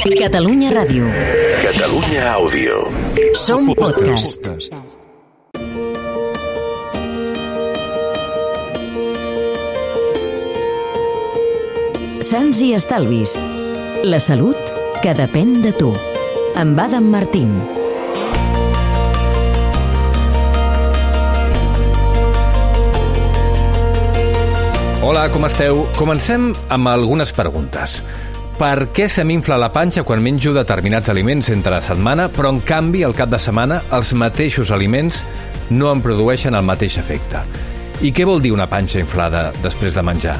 Catalunya Ràdio. Catalunya Àudio. Som podcast. Sants i estalvis. La salut que depèn de tu. Amb Adam Martín. Hola, com esteu? Comencem amb algunes preguntes. Per què se m'infla la panxa quan menjo determinats aliments entre la setmana, però en canvi al cap de setmana els mateixos aliments no em produeixen el mateix efecte? I què vol dir una panxa inflada després de menjar?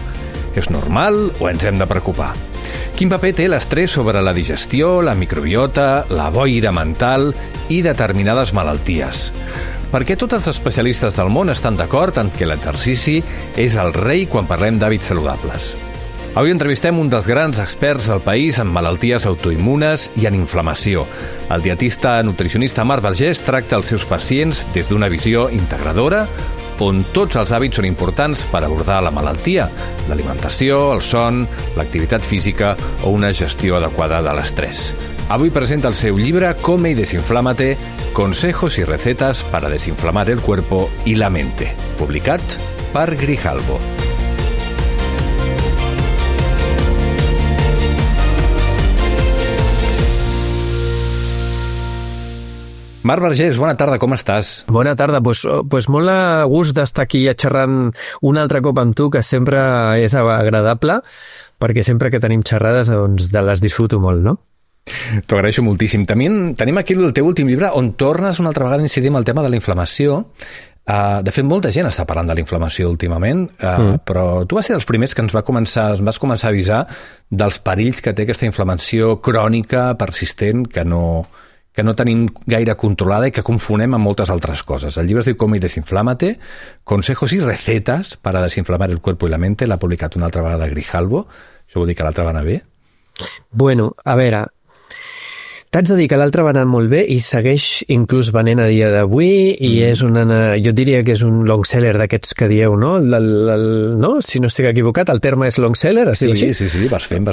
És normal o ens hem de preocupar? Quin paper té l'estrès sobre la digestió, la microbiota, la boira mental i determinades malalties? Per què tots els especialistes del món estan d'acord en que l'exercici és el rei quan parlem d'hàbits saludables? Avui entrevistem un dels grans experts del país en malalties autoimmunes i en inflamació. El dietista nutricionista Marc Vergés tracta els seus pacients des d'una visió integradora, on tots els hàbits són importants per abordar la malaltia, l'alimentació, el son, l'activitat física o una gestió adequada de l'estrès. Avui presenta el seu llibre Come y Desinflámate, consejos y recetas para desinflamar el cuerpo y la mente, publicat per Grijalbo. Marc Vergés, bona tarda, com estàs? Bona tarda, pues molt a gust d'estar aquí xerrant un altre cop amb tu, que sempre és agradable, perquè sempre que tenim xerrades doncs, les disfruto molt, no? T'ho agraeixo moltíssim. Tenim aquí el teu últim llibre on tornes una altra vegada a incidir en el tema de la inflamació. De fet, molta gent està parlant de la inflamació últimament, però tu vas ser dels primers que ens vas començar a avisar dels perills que té aquesta inflamació crònica, persistent, que no tenim gaire controlada i que confonem amb moltes altres coses. El llibre es diu Come y Desinflámate, consejos y recetas para desinflamar el cuerpo y la mente. L'ha publicat una altra vegada Grijalbo. Això vol dir que l'altra va anar bé? Bueno, a veure, t'haig de dir que l'altre va anar molt bé i segueix inclús venent a dia d'avui i és jo diria que és un long seller d'aquests que dieu, no? No? Si no estic equivocat, el terme és long seller? Sí, vas fent.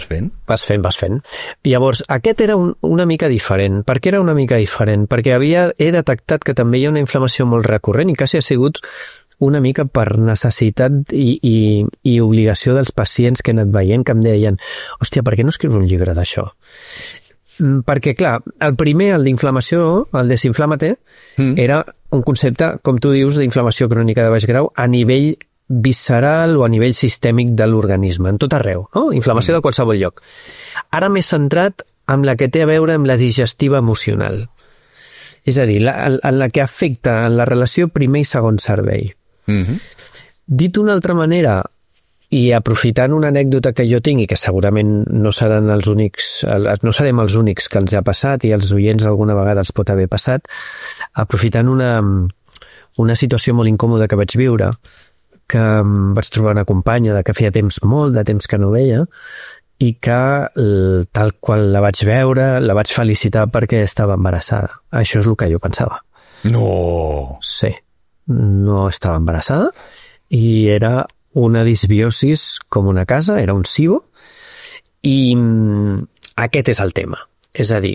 Vas fent. Llavors, aquest era una mica diferent. Per què era una mica diferent? Perquè he detectat que també hi ha una inflamació molt recurrent i quasi ha sigut una mica per necessitat i obligació dels pacients que he anat veient, que em deien, hòstia, per què no escrius un llibre d'això? Perquè, clar, el primer, el d'inflamació, el desinflámate, era un concepte, com tu dius, d'inflamació crònica de baix grau a nivell visceral o a nivell sistèmic de l'organisme, en tot arreu, no? Inflamació de qualsevol lloc. Ara m'he centrat en la que té a veure amb la digestiva emocional. És a dir, en la que afecta en la relació primer i segon servei. Dit d'una altra manera, i aprofitant una anècdota que jo tinc i que segurament no serem els únics que els ha passat i els oients alguna vegada els pot haver passat, aprofitant una situació molt incòmoda que vaig viure, que vaig trobar una companya que feia molt de temps que no veia i que tal qual la vaig veure, la vaig felicitar perquè estava embarassada. Això és el que jo pensava. No! Sí, no estava embarassada i era una disbiosis com una casa, era un SIBO, i aquest és el tema. És a dir,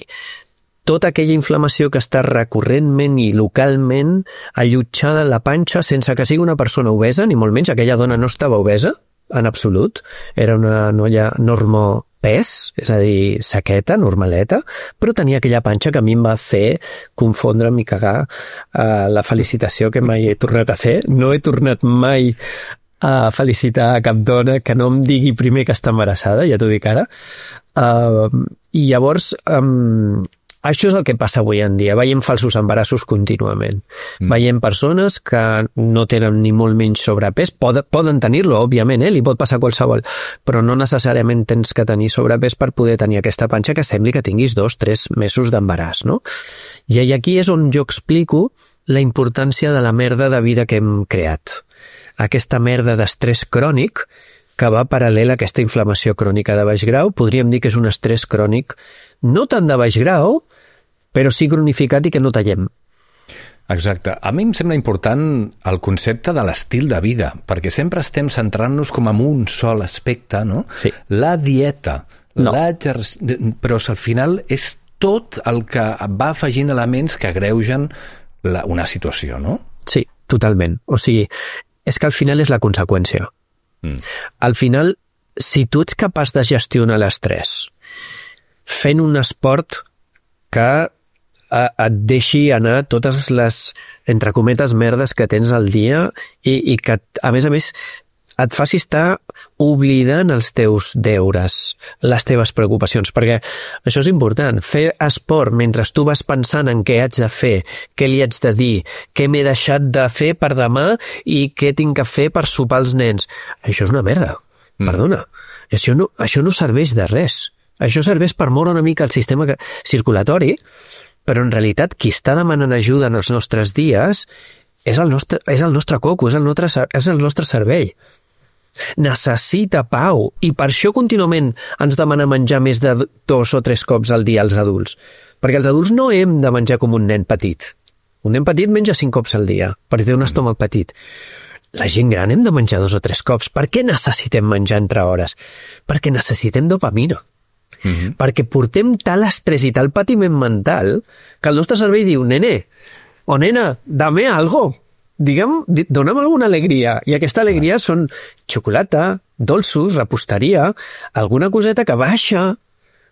tota aquella inflamació que està recurrentment i localment allotjada en la panxa sense que sigui una persona obesa, ni molt menys, aquella dona no estava obesa, en absolut, era una noia normopès, és a dir, saqueta, normaleta, però tenia aquella panxa que a mi em va fer confondre'm i cagar la felicitació que mai he tornat a fer. No he tornat mai a felicitar a cap dona que no em digui primer que està embarassada, ja t'ho dic ara. I llavors, això és el que passa avui en dia. Veiem falsos embarassos contínuament. Veiem persones que no tenen ni molt menys sobrepès. Poden tenir-lo, òbviament, li pot passar a qualsevol, però no necessàriament tens que tenir sobrepès per poder tenir aquesta panxa que sembli que tinguis 2-3 mesos d'embaràs, no? I aquí és on jo explico la importància de la merda de vida que hem creat. Aquesta merda d'estrès crònic que va paral·lel a aquesta inflamació crònica de baix grau. Podríem dir que és un estrès crònic no tant de baix grau, però sí cronificat i que no tallem. Exacte. A mi em sembla important el concepte de l'estil de vida, perquè sempre estem centrant-nos com en un sol aspecte, no? Sí. La dieta, No. Però al final és tot el que va afegint elements que agreugen una situació, no? Sí, totalment. O sigui, és que al final és la conseqüència. Al final, si tu ets capaç de gestionar l'estrès fent un esport que et deixi anar totes les, entre cometes, merdes que tens al dia i que, a més, et faci estar oblidant els teus deures, les teves preocupacions, perquè això és important. Fer esport mentre tu vas pensant en què haig de fer, què li haig de dir, què m'he deixat de fer per demà i què tinc que fer per sopar els nens. Això és una merda, perdona. Això no serveix de res. Això serveix per moure una mica el sistema circulatori, però en realitat qui està demanant ajuda en els nostres dies és el nostre coco, és el nostre cervell. Necessita pau, i per això contínuament ens demana menjar més de 2 o 3 cops al dia als adults, perquè els adults no hem de menjar com un nen petit. Un nen petit menja 5 cops al dia, perquè té un estómac petit. La gent gran hem de menjar 2 o 3 cops. Per què necessitem menjar entre hores? Perquè necessitem dopamina. Perquè portem tal estrès i tal patiment mental que el nostre cervell diu, nene o nena, dame algo. Dona'm alguna alegria. I aquesta alegria són xocolata, dolços, reposteria, alguna coseta que baixa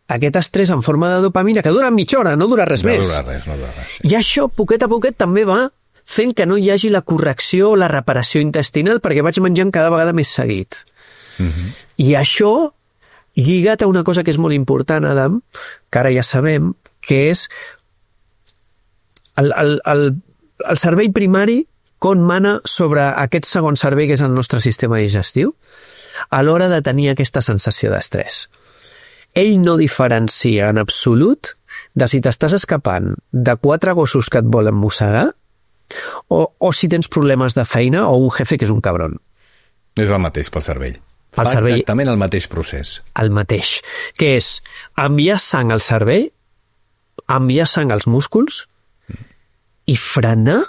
aquest estrès en forma de dopamina, que dura mitja hora, no dura res més. No dura res. I això, poquet a poquet, també va fent que no hi hagi la correcció o la reparació intestinal, perquè vaig menjant cada vegada més seguit. I això, lligat a una cosa que és molt important, Adam, que ara ja sabem, que és el cervell primari com mana sobre aquest segon cervell que és el nostre sistema digestiu a l'hora de tenir aquesta sensació d'estrès. Ell no diferencia en absolut de si t'estàs escapant de 4 gossos que et volen mossegar o si tens problemes de feina o un jefe que és un cabron. És el mateix pel cervell. El cervell, exactament el mateix procés. El mateix, que és enviar sang al cervell, enviar sang als músculs i frenar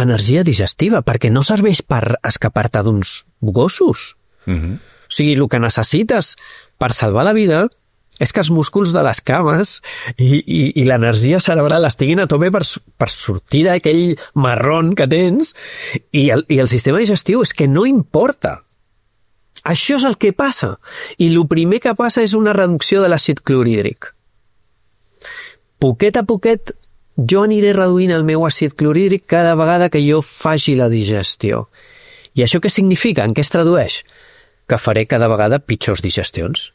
energia digestiva, perquè no serveix per escapar-te d'uns gossos. O sigui, el que necessites per salvar la vida és que els músculs de les cames i l'energia cerebral estiguin a tope per sortir d'aquell marrón que tens i el sistema digestiu és que no importa. Això és el que passa. I el primer que passa és una reducció de l'àcid clorhídric. Poquet a poquet jo aniré reduint el meu àcid clorhídric cada vegada que jo faci la digestió. I això què significa? En què es tradueix? Que faré cada vegada pitjors digestions.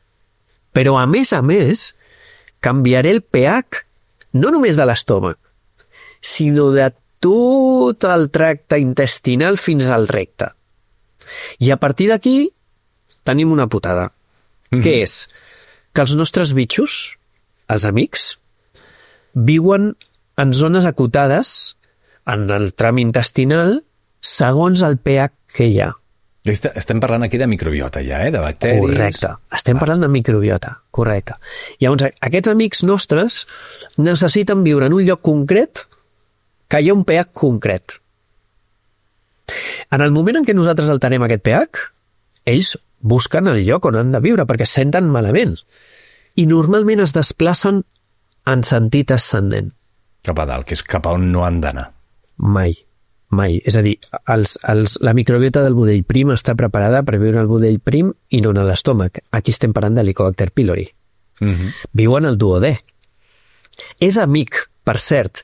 Però a més, canviaré el pH no només de l'estómac, sinó de tot el tracte intestinal fins al recte. I a partir d'aquí tenim una putada, que és que els nostres bitxos, els amics, viuen en zones acotades en el tram intestinal segons el pH que hi ha. Estem parlant aquí de microbiota ja, de bacteris... Correcte, estem parlant de microbiota, correcte. Llavors, aquests amics nostres necessiten viure en un lloc concret que hi ha un pH concret. En el moment en què nosaltres alterem aquest pH, ells busquen el lloc on han de viure perquè es senten malament. I normalment es desplacen en sentit ascendent. Cap a dalt, que és cap a on no han d'anar. Mai. És a dir, la microbiota del budell prim està preparada per viure al budell prim i no en l'estómac. Aquí estem parlant de Helicobacter pylori. Viuen al duodè. És amic, per cert.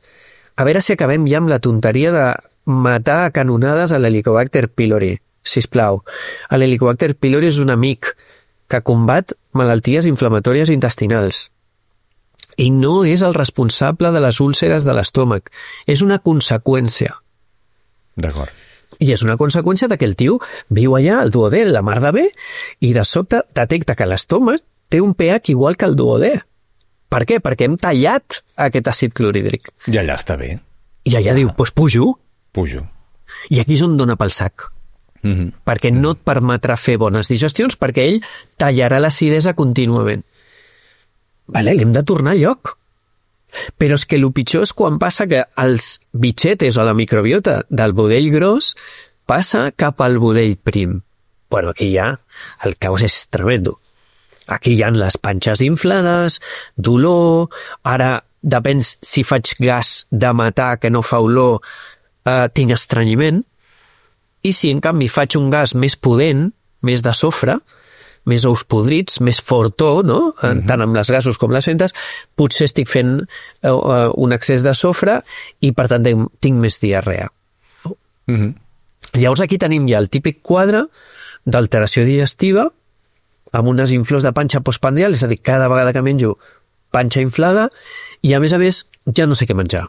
A veure si acabem ja amb la tonteria de matar a canonades a l'Helicobacter pylori. Sisplau. L'Helicobacter pylori és un amic que combat malalties inflamatòries intestinals. I no és el responsable de les úlceres de l'estómac. És una conseqüència. D'acord. I és una conseqüència de que el tio viu allà, al duodè, la mar de bé, i de sobte detecta que l'estómac té un pH igual que el duodè. Per què? Perquè hem tallat aquest àcid clorhídric. I allà està bé. I allà diu, doncs pujo. I aquí és on dona pel sac. Perquè no et permetrà fer bones digestions, perquè ell tallarà l'acidesa contínuament. Vale, l'hem de tornar a lloc. Però és que el pitjor és quan passa que els bitxetes o la microbiota del budell gros passa cap al budell prim. Bueno, aquí ja el caos és tremendo. Aquí hi ha les panxes inflades, dolor, ara depèn si faig gas de matar que no fa olor, tinc estrenyiment, i si en canvi faig un gas més pudent, més de sofre, més ous podrits, més fortó, no? Tant amb les gasos com les fentes, potser estic fent un excés de sofre i per tant tinc més diarrea. Llavors aquí tenim ja el típic quadre d'alteració digestiva amb unes inflors de panxa postprandial, és a dir, cada vegada que menjo panxa inflada i a més ja no sé què menjar.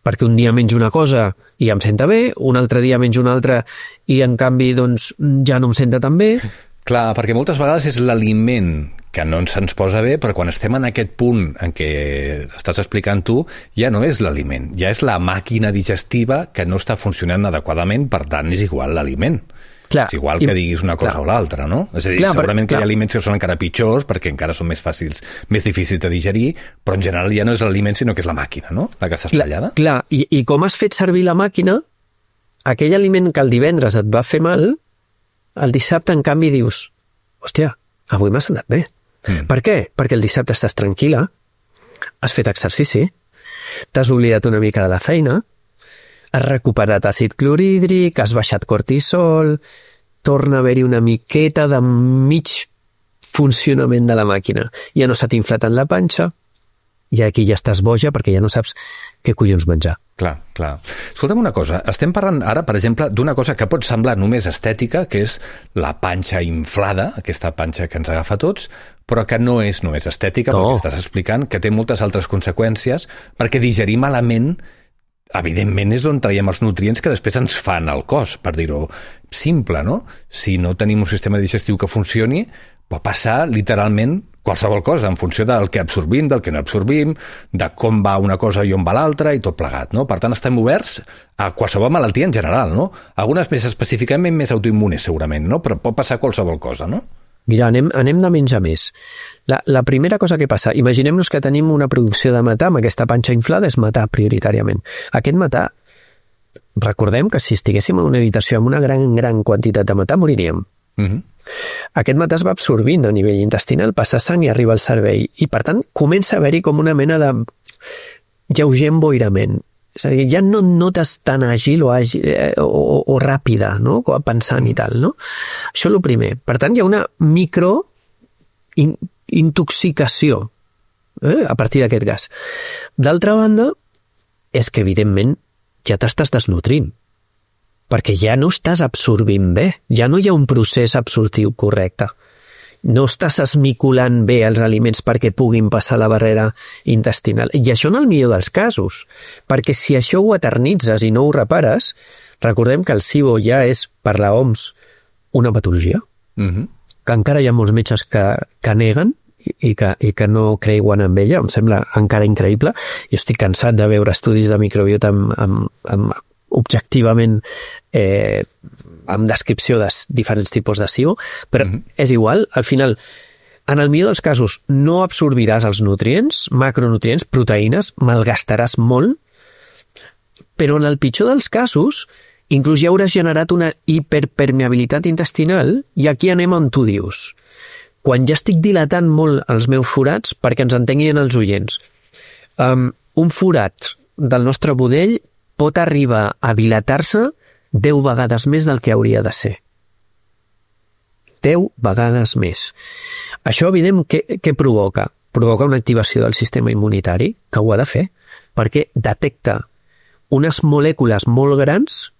Perquè un dia menjo una cosa i em senta bé, un altre dia menjo una altra i en canvi doncs ja no em senta tan bé. Clar, perquè moltes vegades és l'aliment que no se'ns posa bé, però quan estem en aquest punt en què estàs explicant tu, ja no és l'aliment, ja és la màquina digestiva que no està funcionant adequadament, per tant és igual l'aliment. Clar, és igual que diguis una cosa o l'altra, no? És a dir, segurament que hi ha aliments que són encara pitjors perquè encara són més fàcils, més difícils de digerir, però en general ja no és l'aliment sinó que és la màquina, no? La que està espatllada. Clar, i com has fet servir la màquina, aquell aliment que el divendres et va fer mal, el dissabte, en canvi, dius hòstia, avui m'ha sentat bé. Per què? Perquè el dissabte estàs tranquil·la, has fet exercici, t'has oblidat una mica de la feina, has recuperat àcid clorhídric, has baixat cortisol, torna a haver-hi una miqueta de mig funcionament de la màquina. Ja no s'ha t'inflat en la panxa, i aquí ja estàs boja perquè ja no saps què collons menjar. Clar, clar. Escolta'm una cosa, estem parlant ara, per exemple, d'una cosa que pot semblar només estètica, que és la panxa inflada, aquesta panxa que ens agafa tots, però que no és només estètica, perquè estàs explicant que té moltes altres conseqüències, perquè digerir malament, evidentment, és on traiem els nutrients que després ens fan al cos, per dir-ho simple, no? Si no tenim un sistema digestiu que funcioni, pot passar literalment qualsevol cosa, en funció del que absorbim, del que no absorbim, de com va una cosa i on va l'altra, i tot plegat, no? Per tant, estem oberts a qualsevol malaltia en general, no? Algunes més específicament més autoimmunes, segurament, no? Però pot passar qualsevol cosa, no? Mira, anem de menys a més. La primera cosa que passa, imaginem-nos que tenim una producció de metà amb aquesta panxa inflada, és metà prioritàriament. Aquest metà, recordem que si estiguéssim en una habitació amb una gran quantitat de metà, moriríem. Aquest metà es va absorbint a nivell intestinal, passa sang i arriba al cervell, i per tant comença a haver-hi com una mena de lleuger emboirament. És a dir, ja no et notes tan àgil o ràpida, no? Pensant i tal, no? Això és el primer. Per tant, hi ha una microintoxicació a partir d'aquest gas. D'altra banda, és que evidentment ja t'estàs desnutrint, perquè ja no estàs absorbint bé, ja no hi ha un procés absortiu correcte. No estàs esmiculant bé els aliments perquè puguin passar la barrera intestinal. I això en el millor dels casos, perquè si això ho eternitzes i no ho repares, recordem que el SIBO ja és, per la OMS, una patologia, que encara hi ha molts metges que neguen i que no creuen en ella, em sembla encara increïble. Jo estic cansat de veure estudis de microbiota objectivament amb descripció de diferents tipus de SIBO, però és igual, al final, en el millor dels casos, no absorbiràs els nutrients, macronutrients, proteïnes, malgastaràs molt, però en el pitjor dels casos, inclús ja hauràs generat una hiperpermeabilitat intestinal, i aquí anem on tu dius. Quan ja estic dilatant molt els meus forats, perquè ens entenguin els oients, un forat del nostre budell pot arribar a dilatar-se 10 vegades més del que hauria de ser. 10 vegades més. Això, evident, què provoca? Provoca una activació del sistema immunitari, que ho ha de fer, perquè detecta unes molècules molt grans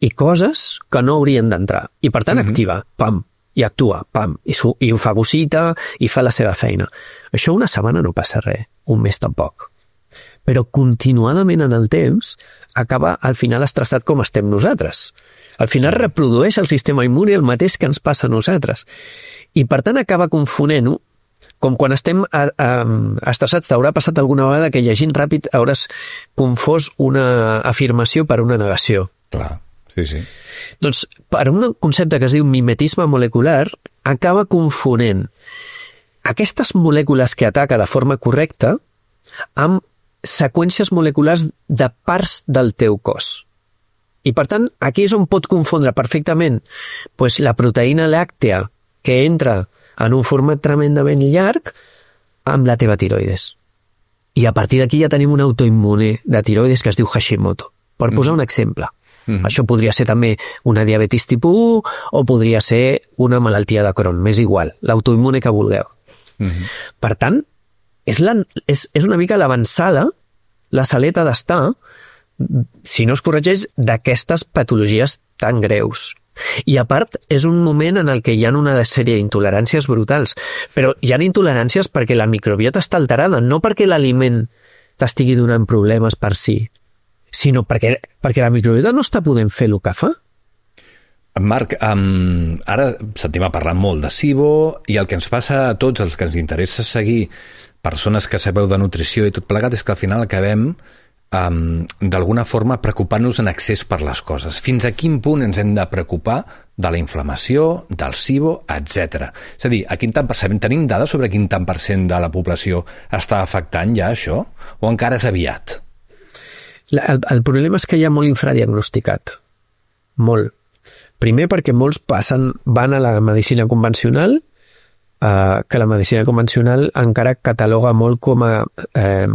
i coses que no haurien d'entrar. I, per tant, activa, pam, i actua, pam, i ho fagocita i fa la seva feina. Això una setmana no passa res, un mes tampoc. Però continuadament en el temps acaba al final estressat com estem nosaltres. Al final reprodueix el sistema immune el mateix que ens passa a nosaltres. I per tant acaba confonent-ho, com quan estem estressats. T'haurà passat alguna vegada que llegint ràpid hauràs confós una afirmació per una negació. Clar, sí. Doncs per un concepte que es diu mimetisme molecular acaba confonent aquestes molècules que ataca de forma correcta amb seqüències moleculars de parts del teu cos. I, per tant, aquí és on pot confondre perfectament la proteïna làctea que entra en un format tremendament llarg amb la teva tiroides. I a partir d'aquí ja tenim un autoimmune de tiroides que es diu Hashimoto, per posar un exemple. Això podria ser també una diabetis tipus 1 o podria ser una malaltia de Crohn, m'és igual, l'autoimmune que vulgueu. Per tant, és una mica l'avançada, la saleta d'estar, si no es corregeix, d'aquestes patologies tan greus. I a part, és un moment en el que hi ha una sèrie d'intoleràncies brutals, però hi ha intoleràncies perquè la microbiota està alterada, no perquè l'aliment t'estigui donant problemes per si, sinó perquè la microbiota no està podent fer el que fa. Marc, ara sentim a parlar molt de SIBO i el que ens passa a tots els que ens interessa seguir persones que sabeu de nutrició i tot plegat és que al final acabem d'alguna forma preocupant-nos en excés per les coses. Fins a quin punt ens hem de preocupar de la inflamació, del SIBO, etc. És a dir, tenim dades sobre quin tant per cent de la població està afectant ja això? O encara és aviat? El problema és que hi ha molt infradiagnosticat. Molt. Primer perquè molts van a la medicina convencional, que la medicina convencional encara cataloga molt com a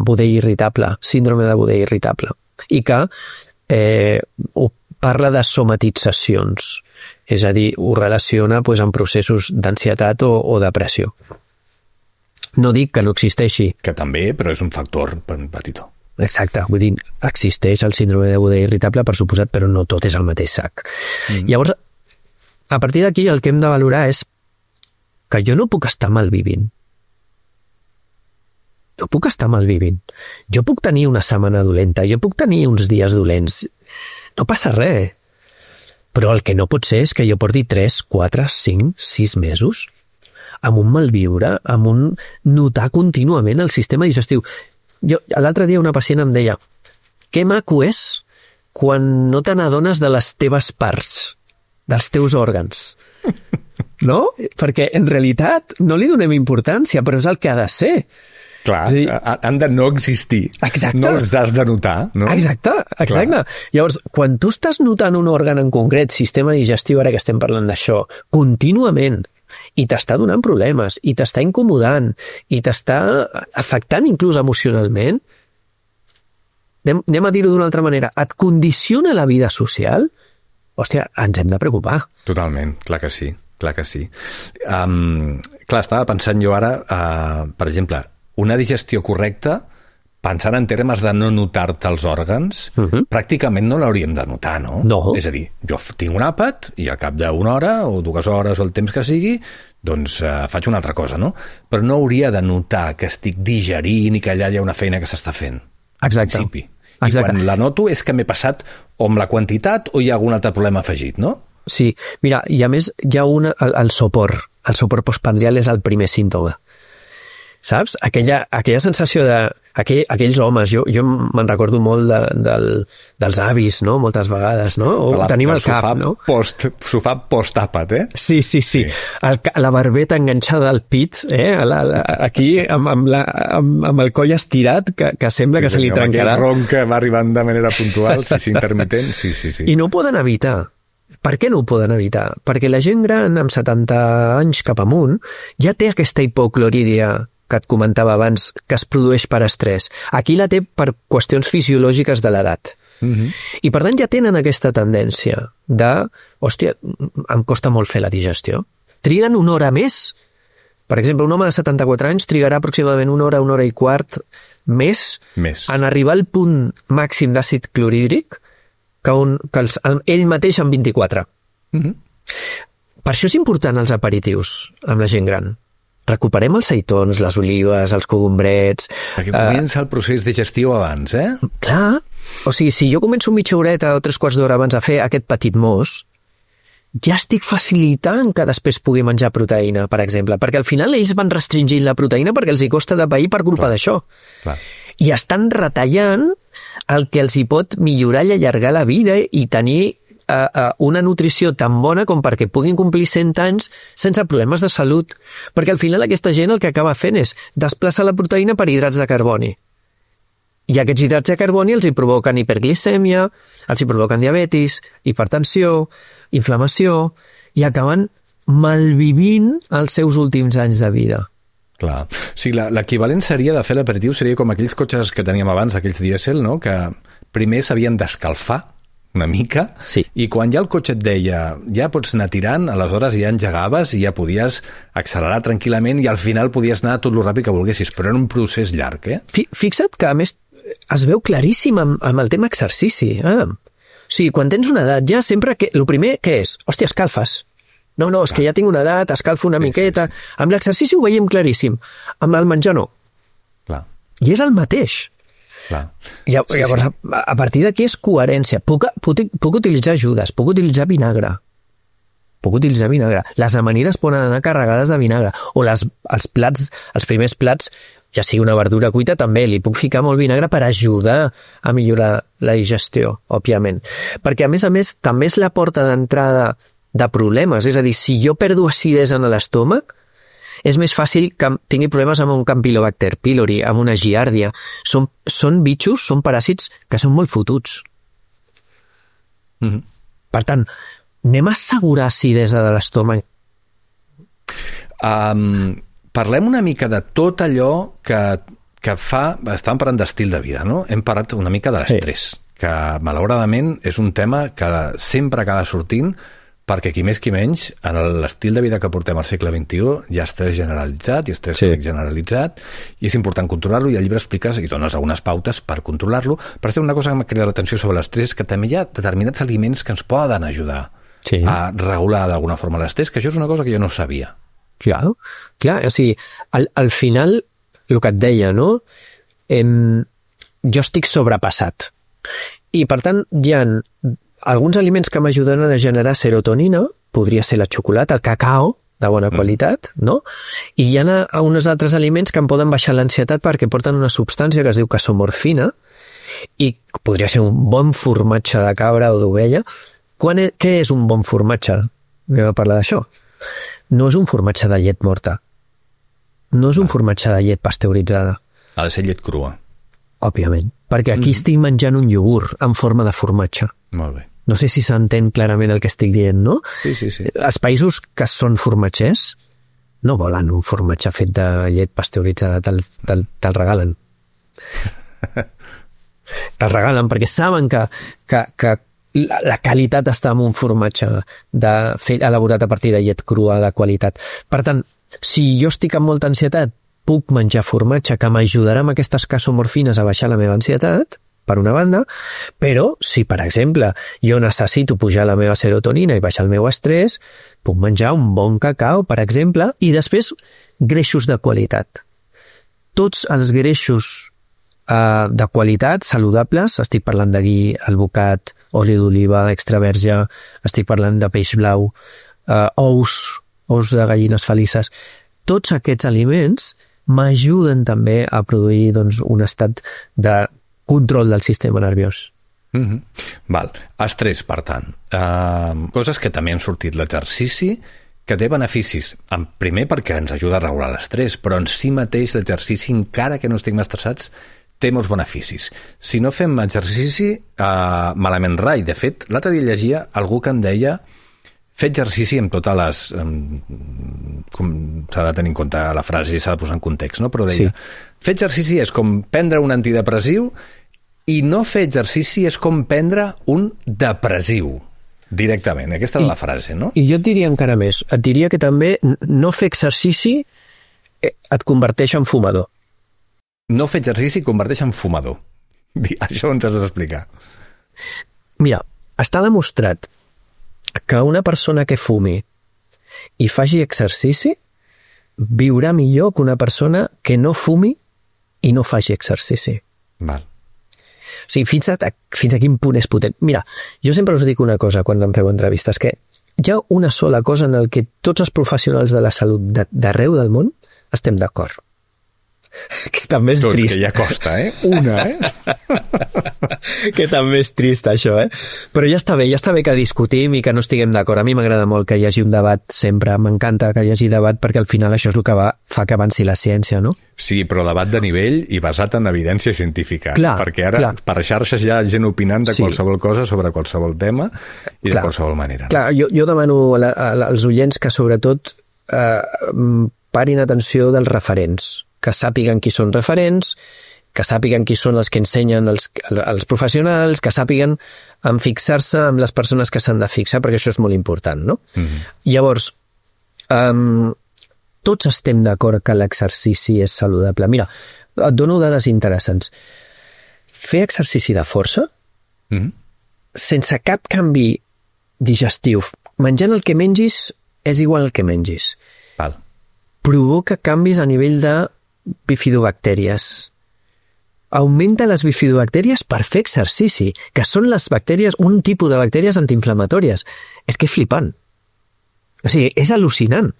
budell irritable, síndrome de budell irritable, i que parla de somatitzacions, és a dir, ho relaciona amb processos d'ansietat o depressió. No dic que no existeixi. Que també, però és un factor petitó. Exacte, vull dir, existeix el síndrome de budell irritable, per suposat, però no tot és el mateix sac. Llavors, a partir d'aquí el que hem de valorar és que jo no puc estar mal vivint. No puc estar mal vivint. Jo puc tenir una setmana dolenta, jo puc tenir uns dies dolents. No passa res. Però el que no pot ser és que jo porti 3, 4, 5, 6 mesos amb un malviure, amb un notar contínuament el sistema digestiu. L'altre dia una pacient em deia que maco és quan no te n'adones de les teves parts, dels teus òrgans. No? Perquè en realitat no li donem importància, però és el que ha de ser. Clar, han de no existir. Exacte. No els has de notar, no? Exacte. Clar. Llavors, quan tu estàs notant un òrgan en concret, sistema digestiu, ara que estem parlant d'això, contínuament, i t'està donant problemes, i t'està incomodant, i t'està afectant inclús emocionalment, anem a dir-ho d'una altra manera, et condiciona la vida social, hòstia, ens hem de preocupar. Totalment, clar que sí. Clar que sí. Clar, estava pensant jo ara, per exemple, una digestió correcta, pensant en termes de no notar-te els òrgans, pràcticament no l'hauríem de notar, no? No. És a dir, jo tinc un àpat i al cap d'una hora o 2 hores o el temps que sigui, doncs faig una altra cosa, no? Però no hauria de notar que estic digerint i que allà hi ha una feina que s'està fent. Exacte. En principi. I quan la noto és que m'he passat o amb la quantitat o hi ha algun altre problema afegit, no? Sí, mira, i a més hi ha el sopor. El sopor postprandial és el primer símptoma. Saps? Aquella sensació de... Aquells homes, jo me'n recordo molt dels avis, no? Moltes vegades, no? O tenim el cap, no? Sofà post-àpat, eh? Sí. La barbeta enganxada al pit, aquí amb el coll estirat, que sembla que se li trencarà. Aquell ronc que va arribant de manera puntual, intermitent, sí. I no ho poden evitar. Per què no ho poden evitar? Perquè la gent gran, amb 70 anys cap amunt, ja té aquesta hipoclorídia que et comentava abans, que es produeix per estrès. Aquí la té per qüestions fisiològiques de l'edat. I per tant ja tenen aquesta tendència de, hòstia, em costa molt fer la digestió. Triguen una hora més. Per exemple, un home de 74 anys trigarà aproximadament una hora i quart més en arribar al punt màxim d'àcid clorhídric que ell mateix en 24. Per això és important els aperitius amb la gent gran. Recuperem els seitons, les olives, els cogombrets... Perquè comença el procés digestiu abans, eh? Clar. O sigui, si jo començo mitja horeta o 3 quarts d'hora abans a fer aquest petit mos, ja estic facilitant que després pugui menjar proteïna, per exemple, perquè al final ells van restringint la proteïna perquè els hi costa de pair per culpa d'això. I estan retallant el que els hi pot millorar i allargar la vida i tenir una nutrició tan bona com perquè puguin complir 100 anys sense problemes de salut. Perquè al final aquesta gent el que acaba fent és desplaçar la proteïna per hidrats de carboni. I aquests hidrats de carboni els hi provoquen hiperglicèmia, els hi provoquen diabetis, hipertensió, inflamació, i acaben malvivint els seus últims anys de vida. Clar. O sigui, l'equivalent seria de fer l'aperitiu, seria com aquells cotxes que teníem abans, aquells dièsel, no? Que primer s'havien d'escalfar una mica, sí. I quan ja el cotxe et deia ja pots anar tirant, aleshores ja engegaves i ja podies accelerar tranquil·lament i al final podies anar tot el ràpid que volguessis, però era un procés llarg, eh? Fixa't que, a més, es veu claríssim amb el tema exercici. O sigui, quan tens una edat ja sempre... El primer, què és? Hòstia, escalfes. No, és que ja tinc una edat, escalfo una miqueta... Sí. Amb l'exercici ho veiem claríssim. Amb el menjar no. Clar. I és el mateix. Clar. Llavors, a partir d'aquí és coherència. Puc utilitzar ajudes, puc utilitzar vinagre. Les amanides poden anar carregades de vinagre. O els primers plats, ja sigui una verdura cuita, també li puc ficar molt vinagre per ajudar a millorar la digestió, òbviament. Perquè, a més, també és la porta d'entrada de problemes. És a dir, si jo perdo acidesa en l'estómac, és més fàcil que tingui problemes amb un Campylobacter pylori, amb una giàrdia. Són bitxos, són paràsits que són molt fotuts. Per tant, anem a assegurar acidesa de l'estómac. Parlem una mica de tot allò que fa... Estàvem parlant d'estil de vida, no? Hem parlat una mica de l'estrès, que malauradament és un tema que sempre acaba sortint, perquè qui més qui menys, en l'estil de vida que portem al segle XXI, hi ha estrès generalitzat, hi ha estrès generalitzat, i és important controlar-lo, i al llibre expliques i dones algunes pautes per controlar-lo. Per això una cosa que m'ha cridat l'atenció sobre l'estrès, que també hi ha determinats aliments que ens poden ajudar a regular d'alguna forma l'estrès, que això és una cosa que jo no sabia. Clar, o sigui, al final, el que et deia, no? Jo estic sobrepassat. I, per tant, hi ha alguns aliments que m'ajuden a generar serotonina, podria ser la xocolata, el cacao, de bona qualitat, no? I hi ha uns altres aliments que em poden baixar l'ansietat perquè porten una substància que es diu casomorfina i podria ser un bon formatge de cabra o d'ovella. Què és un bon formatge? Anem a parlar d'això. No és un formatge de llet morta. No és un formatge de llet pasteuritzada. Ha de ser llet crua. Òbviament, perquè aquí estic menjant un iogurt en forma de formatge. Molt bé. No sé si s'entén clarament el que estic dient, no? Sí. Els països que són formatgers no volen un formatge fet de llet pasteuritzada, te'l regalen. Te'l regalen perquè saben que la qualitat està en un formatge elaborat a partir de llet crua de qualitat. Per tant, si jo estic amb molta ansietat, puc menjar formatge que m'ajudarà amb aquestes casomorfines a baixar la meva ansietat, per una banda, però si, per exemple, jo necessito pujar la meva serotonina i baixar el meu estrès, puc menjar un bon cacau, per exemple, i després greixos de qualitat. Tots els greixos de qualitat, saludables, estic parlant de ghee, alvocat, oli d'oliva, extra verge, estic parlant de peix blau, ous de gallines felices, tots aquests aliments m'ajuden també a produir un estat de control del sistema nerviós. Val. Estrès, per tant. Coses que també han sortit. L'exercici, que té beneficis. Primer perquè ens ajuda a regular l'estrès, però en si mateix l'exercici, encara que no estiguem estressats, té molts beneficis. Si no fem exercici, malament rai. De fet, l'altre dia llegia algú que em deia fer exercici amb totes les... s'ha de tenir en compte la frase i s'ha de posar en context, no? Però deia, fer exercici és com prendre un antidepressiu i no fer exercici és com prendre un depressiu directament. Aquesta és la frase, no? I jo et diria encara més. Et diria que també no fer exercici et converteix en fumador. No fer exercici converteix en fumador. Això ens has d'explicar. Mira, està demostrat que una persona que fumi i faci exercici viurà millor que una persona que no fumi i no faci exercici. Val. O sigui, fins a quin punt és potent. Mira, jo sempre us dic una cosa quan em feu entrevistes, que hi ha una sola cosa en el que tots els professionals de la salut d'arreu del món estem d'acord. que també és Tots, trist. que ja costa, Una, Que també és trist, això, Però ja està bé que discutim i que no estiguem d'acord. A mi m'agrada molt que hi hagi un debat sempre, m'encanta que hi hagi debat perquè al final això és el que fa que avanci la ciència, no? Sí, però debat de nivell i basat en evidència científica. Clar, perquè ara per xarxes hi ha gent opinant de qualsevol cosa sobre qualsevol tema i de qualsevol manera. Clar, jo demano als oients que sobretot parin atenció dels referents, que sàpiguen qui són referents, que sàpiguen qui són els que ensenyen els professionals, que sàpiguen en fixar-se amb les persones que s'han de fixar, perquè això és molt important, no? Llavors, tots estem d'acord que l'exercici és saludable. Mira, et dono dades interessants. Fer exercici de força, sense cap canvi digestiu, menjant el que mengis és igual al que mengis. Val. Provoca canvis a nivell de bifidobactèries. Augmenta les bifidobactèries per fer exercici, que són les bactèries, un tipus de bactèries antiinflamatòries. És que és flipant. O sigui, és al·lucinant.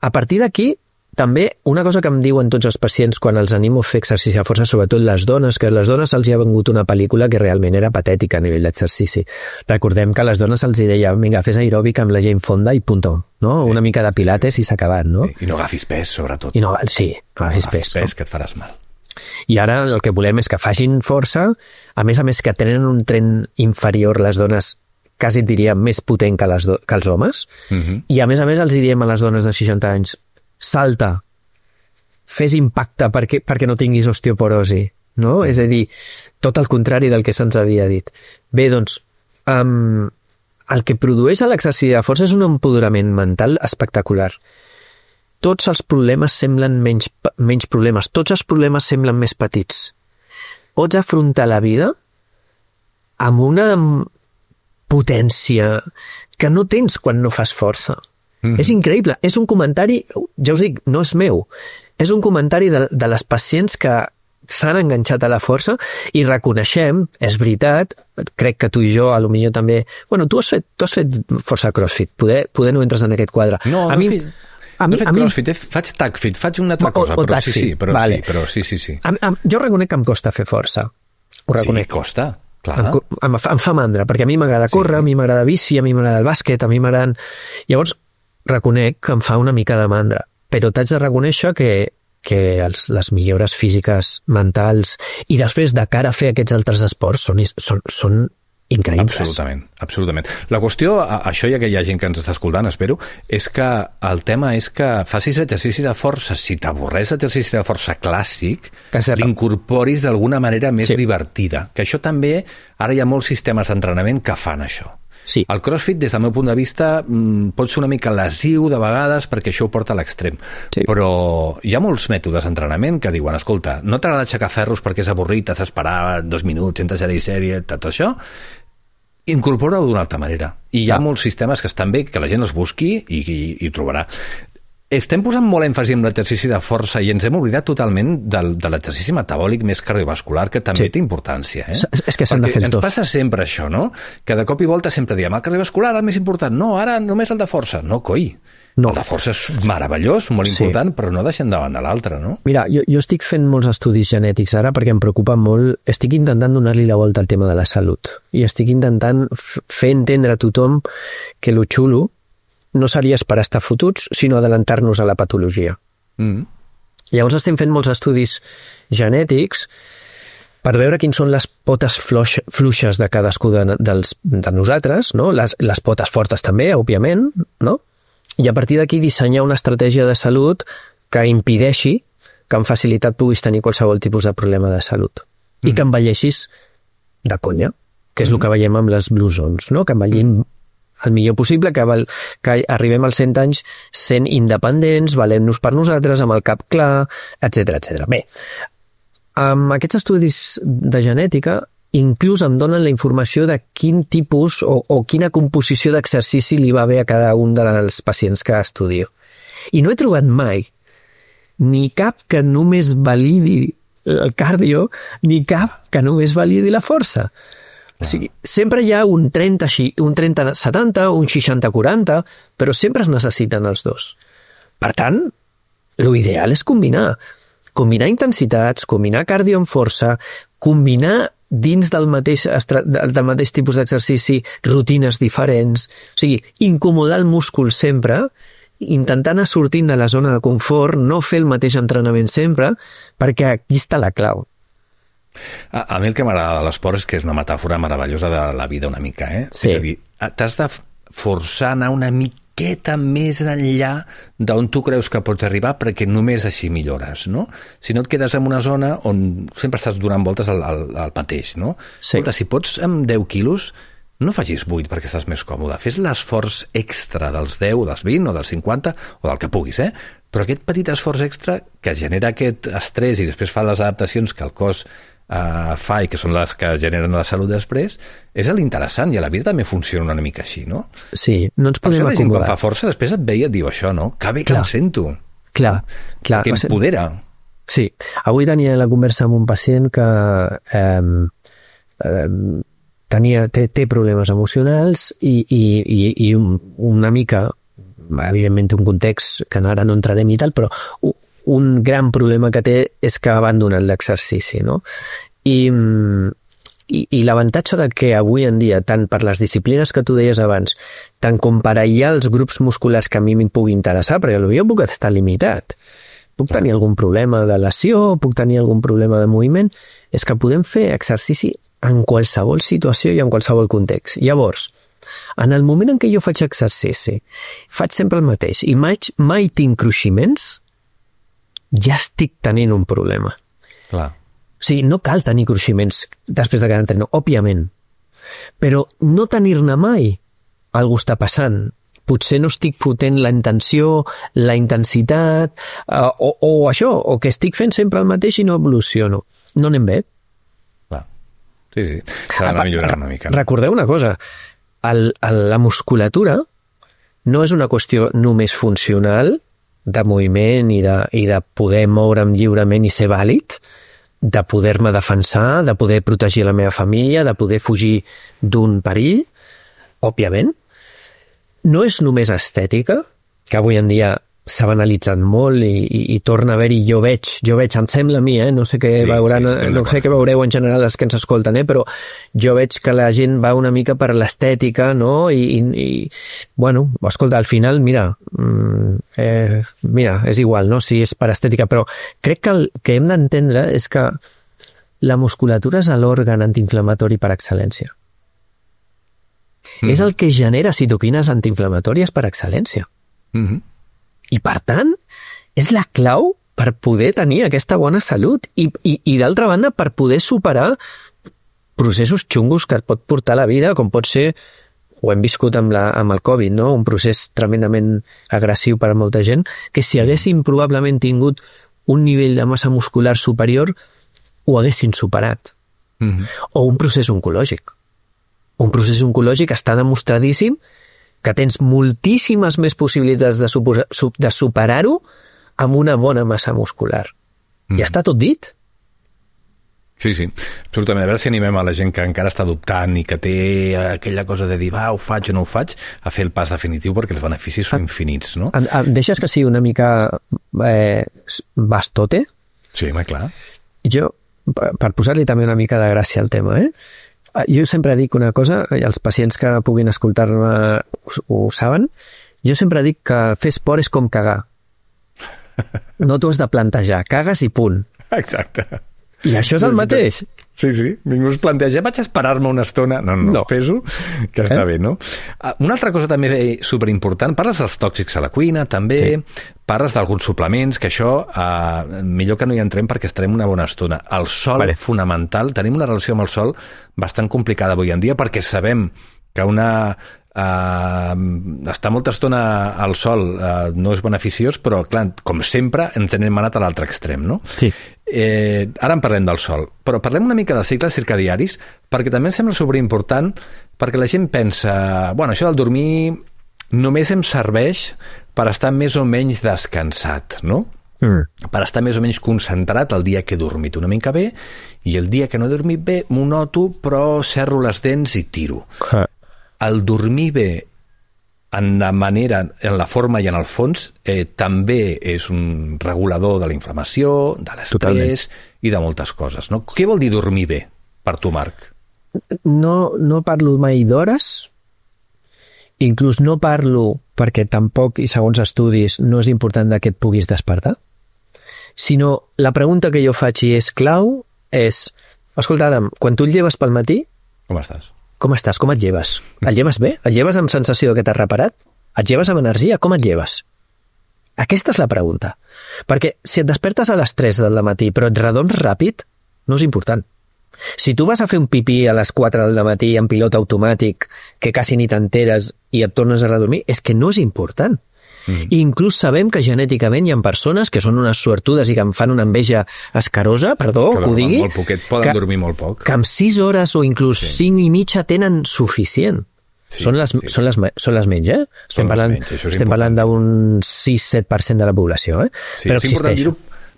A partir d'aquí, també, una cosa que em diuen tots els pacients quan els animo a fer exercici a força, sobretot les dones, que a les dones se'ls hi ha vengut una pel·lícula que realment era patètica a nivell d'exercici. Recordem que a les dones se'ls deia, vinga, fes aeròbic amb la Jane Fonda i punto, no? Sí. Una mica de pilates i s'ha acabat, no? Sí. I no agafis pes, sobretot. I no agafis pes, que et faràs mal. I ara el que volem és que facin força, a més que tenen un tren inferior les dones, quasi et diria més potent que els homes, i a més els diem a les dones de 60 anys, salta, fes impacte perquè no tinguis osteoporosi, no? És a dir, tot el contrari del que se'ns havia dit. Bé, doncs, el que produeix l'exercici de força és un empoderament mental espectacular. Tots els problemes semblen menys problemes, tots els problemes semblen més petits. Pots afrontar la vida amb una potència que no tens quan no fas força. És increïble, és un comentari, ja us dic, no és meu, és un comentari de les pacients que s'han enganxat a la força i reconeixem, és veritat, crec que tu i jo, potser també... Bueno, tu has fet força crossfit, poder no entres en aquest quadre. No he fet crossfit, faig tagfit, faig una altra cosa, però sí, vale. Sí. Jo reconec que em costa fer força, ho reconec. Sí, costa, clar. Em fa mandra, perquè a mi m'agrada córrer, a mi m'agrada bici, a mi m'agrada el bàsquet, a mi m'agraden... Llavors, reconec que em fa una mica de mandra, però t'haig de reconèixer que les millores físiques, mentals, i després de cara a fer aquests altres esports són increïbles. Absolutament. La qüestió, això ja que hi ha gent que ens està escoltant, espero, és que el tema és que facis exercici de força, si t'avorreix l'exercici de força clàssic, l'incorporis d'alguna manera més divertida. Que això també, ara hi ha molts sistemes d'entrenament que fan això. Sí. El crossfit, des del meu punt de vista, pot ser una mica lesiu de vegades perquè això ho porta a l'extrem. Sí. Però hi ha molts mètodes d'entrenament que diuen, escolta, no t'agrada aixecar ferros perquè és avorrit, has d'esperar 2 minuts entre sèrie, tot això, incorpora-ho d'una altra manera. I hi ha molts sistemes que estan bé, que la gent els busqui i ho trobarà. Estem posant molt èmfasi en l'exercici de força i ens hem oblidat totalment de l'exercici metabòlic més cardiovascular, que també té importància. És que s'han de fer els dos. Ens passa sempre això, no? Que de cop i volta sempre diem, el cardiovascular el més important. No, ara només el de força. No, coi. No. El de força és meravellós, molt important, però no deixem davant de l'altre, no? Mira, jo estic fent molts estudis genètics ara perquè em preocupa molt. Estic intentant donar-li la volta al tema de la salut i estic intentant fer entendre a tothom que lo xulo no seria esperar estar fotuts, sinó adelantar-nos a la patologia. Llavors estem fent molts estudis genètics per veure quins són les potes fluixes de cadascú de nosaltres, no? Les potes fortes també, òbviament, no? I a partir d'aquí dissenyar una estratègia de salut que impedeixi que amb facilitat puguis tenir qualsevol tipus de problema de salut. I que envelleixis de conya, que és el que veiem amb les blue zones, no? Que envellim el millor possible, que arribem als 100 anys sent independents, valent-nos per nosaltres, amb el cap clar, etc. Bé, amb aquests estudis de genètica inclús em donen la informació de quin tipus o quina composició d'exercici li va bé a cada un dels pacients que estudio. I no he trobat mai ni cap que només validi el cardio, ni cap que només validi la força. O sigui, sempre hi ha un 30-70, un 60-40, però sempre es necessiten els dos. Per tant, l'ideal és combinar. combinar intensitats, combinar cardio amb força, combinar dins del mateix tipus d'exercici rutines diferents, o sigui, incomodar el múscul sempre, intentar anar sortint de la zona de confort, no fer el mateix entrenament sempre, perquè aquí està la clau. A mi el que m'agrada de l'esport és que és una metàfora meravellosa de la vida una mica, eh? Sí. És a dir, t'has de forçar a anar una miqueta més enllà d'on tu creus que pots arribar perquè només així millores, no? Si no et quedes en una zona on sempre estàs donant voltes al mateix, no? Sí. Escolta, si pots amb 10 quilos, no facis 8 perquè estàs més còmode. Fes l'esforç extra dels 10, dels 20 o dels 50 o del que puguis, eh? Però aquest petit esforç extra que genera aquest estrès i després fa les adaptacions que el cos fa i que són les que generen la salut després, és l'interessant, i a la vida també funciona una mica així, no? Sí, no ens podem acomodar. La gent quan fa acomodar. força després et veia i et diu això, no? Que bé que em sento. Clar. Que empodera. Sí, avui tenia la conversa amb un pacient que té problemes emocionals i una mica, evidentment un context que ara no entrarem i tal, però un gran problema que té és que ha abandonat l'exercici, no? I l'avantatge de que avui en dia, tant per les disciplines que tu deies abans, tant com per aïllar els grups musculars que a mi em pugui interessar, perquè jo puc estar limitat, puc tenir algun problema de lesió, puc tenir algun problema de moviment, és que podem fer exercici en qualsevol situació i en qualsevol context. Llavors, en el moment en què jo faig exercici, faig sempre el mateix i mai tinc cruiximents, ja estic tenint un problema. Clar. O sigui, no cal tenir cruiximents després de cada entrenament, òbviament. Però no tenir-ne mai, algú està passant. Potser no estic fotent la intenció, la intensitat, o això, o que estic fent sempre el mateix i no evoluciono. No anem bé. Clar. Sí, s'ha d'anar millorant una mica. Recordeu una cosa, la musculatura no és una qüestió només funcional, de moviment i de poder moure'm lliurement i ser vàlid, de poder-me defensar, de poder protegir la meva família, de poder fugir d'un perill, òbviament. No és només estètica, que avui en dia s'ha banalitzat molt i torna a haver-hi, jo veig, em sembla a mi, no sé què veuran, no sé què veureu en general els que ens escolten, però jo veig que la gent va una mica per l'estètica, no? I bueno, escolta, al final, mira, és igual, no? Si és per estètica, però crec que el que hem d'entendre és que la musculatura és l'òrgan antiinflamatori per excel·lència. És el que genera citoquines antiinflamatòries per excel·lència. I, per tant, és la clau per poder tenir aquesta bona salut i d'altra banda, per poder superar processos xungos que et pot portar la vida, com pot ser, ho hem viscut amb el Covid, no? Un procés tremendament agressiu per a molta gent, que si haguéssim probablement tingut un nivell de massa muscular superior, ho haguessin superat. O un procés oncològic. Un procés oncològic està demostradíssim que tens moltíssimes més possibilitats de superar-ho amb una bona massa muscular. Ja està tot dit. Sí, absolutament. A veure si animem a la gent que encara està dubtant i que té aquella cosa de dir, ho faig o no ho faig, a fer el pas definitiu perquè els beneficis són infinits, no? Em deixes que sigui una mica bastote? Sí, clar. Jo, per posar-li també una mica de gràcia al tema, jo sempre dic una cosa, i els pacients que puguin escoltar-me ho saben, jo sempre dic que fer esport és com cagar. No t'ho has de plantejar, cagues i punt. Exacte. I això és el mateix. Sí, ningú es planteja, vaig esperar-me una estona. No. Fes-ho, que està bé, no? Una altra cosa també superimportant, parles dels tòxics a la cuina, també, parles d'alguns suplements, que això millor que no hi entrem perquè estarem una bona estona. El sol, fonamental, tenim una relació amb el sol bastant complicada avui en dia perquè sabem que estar molta estona al sol no és beneficiós, però clar, com sempre ens n'hem anat a l'altre extrem, no? Sí. Ara en parlem del sol, però parlem una mica dels cicles circadiaris perquè també em sembla superimportant, perquè la gent pensa, això del dormir només em serveix per estar més o menys descansat, no? Per estar més o menys concentrat el dia que he dormit una mica bé i el dia que no he dormit bé m'ho noto, però cerro les dents i tiro. El dormir bé en la manera, en la forma i en el fons, també és un regulador de la inflamació, de l'estrès i de moltes coses, no? Què vol dir dormir bé, per tu, Marc? No parlo mai d'hores, inclús no parlo perquè tampoc, i segons estudis, no és important que et puguis despertar, sinó la pregunta que jo faig i és clau és, escolta, Adam, quan tu et lleves pel matí... Com estàs? Com estàs? Com et lleves? Et lleves bé? Et lleves amb sensació que t'has reparat? Et lleves amb energia? Com et lleves? Aquesta és la pregunta. Perquè si et despertes a les 3 del matí però et redons ràpid, no és important. Si tu vas a fer un pipí a les 4 del matí en pilot automàtic que quasi ni t'enteres i et tornes a redormir, és que no és important. I inclús sabem que genèticament hi ha persones que són unes suertudes i que em fan una enveja escarosa, perdó, que ho digui, molt poquet, poden dormir molt poc. Que amb 6 hores o inclús 5 i mitja tenen suficient. Sí, són les menys, eh? Estem parlant d'un 6-7% de la població, eh? Sí, però existeix.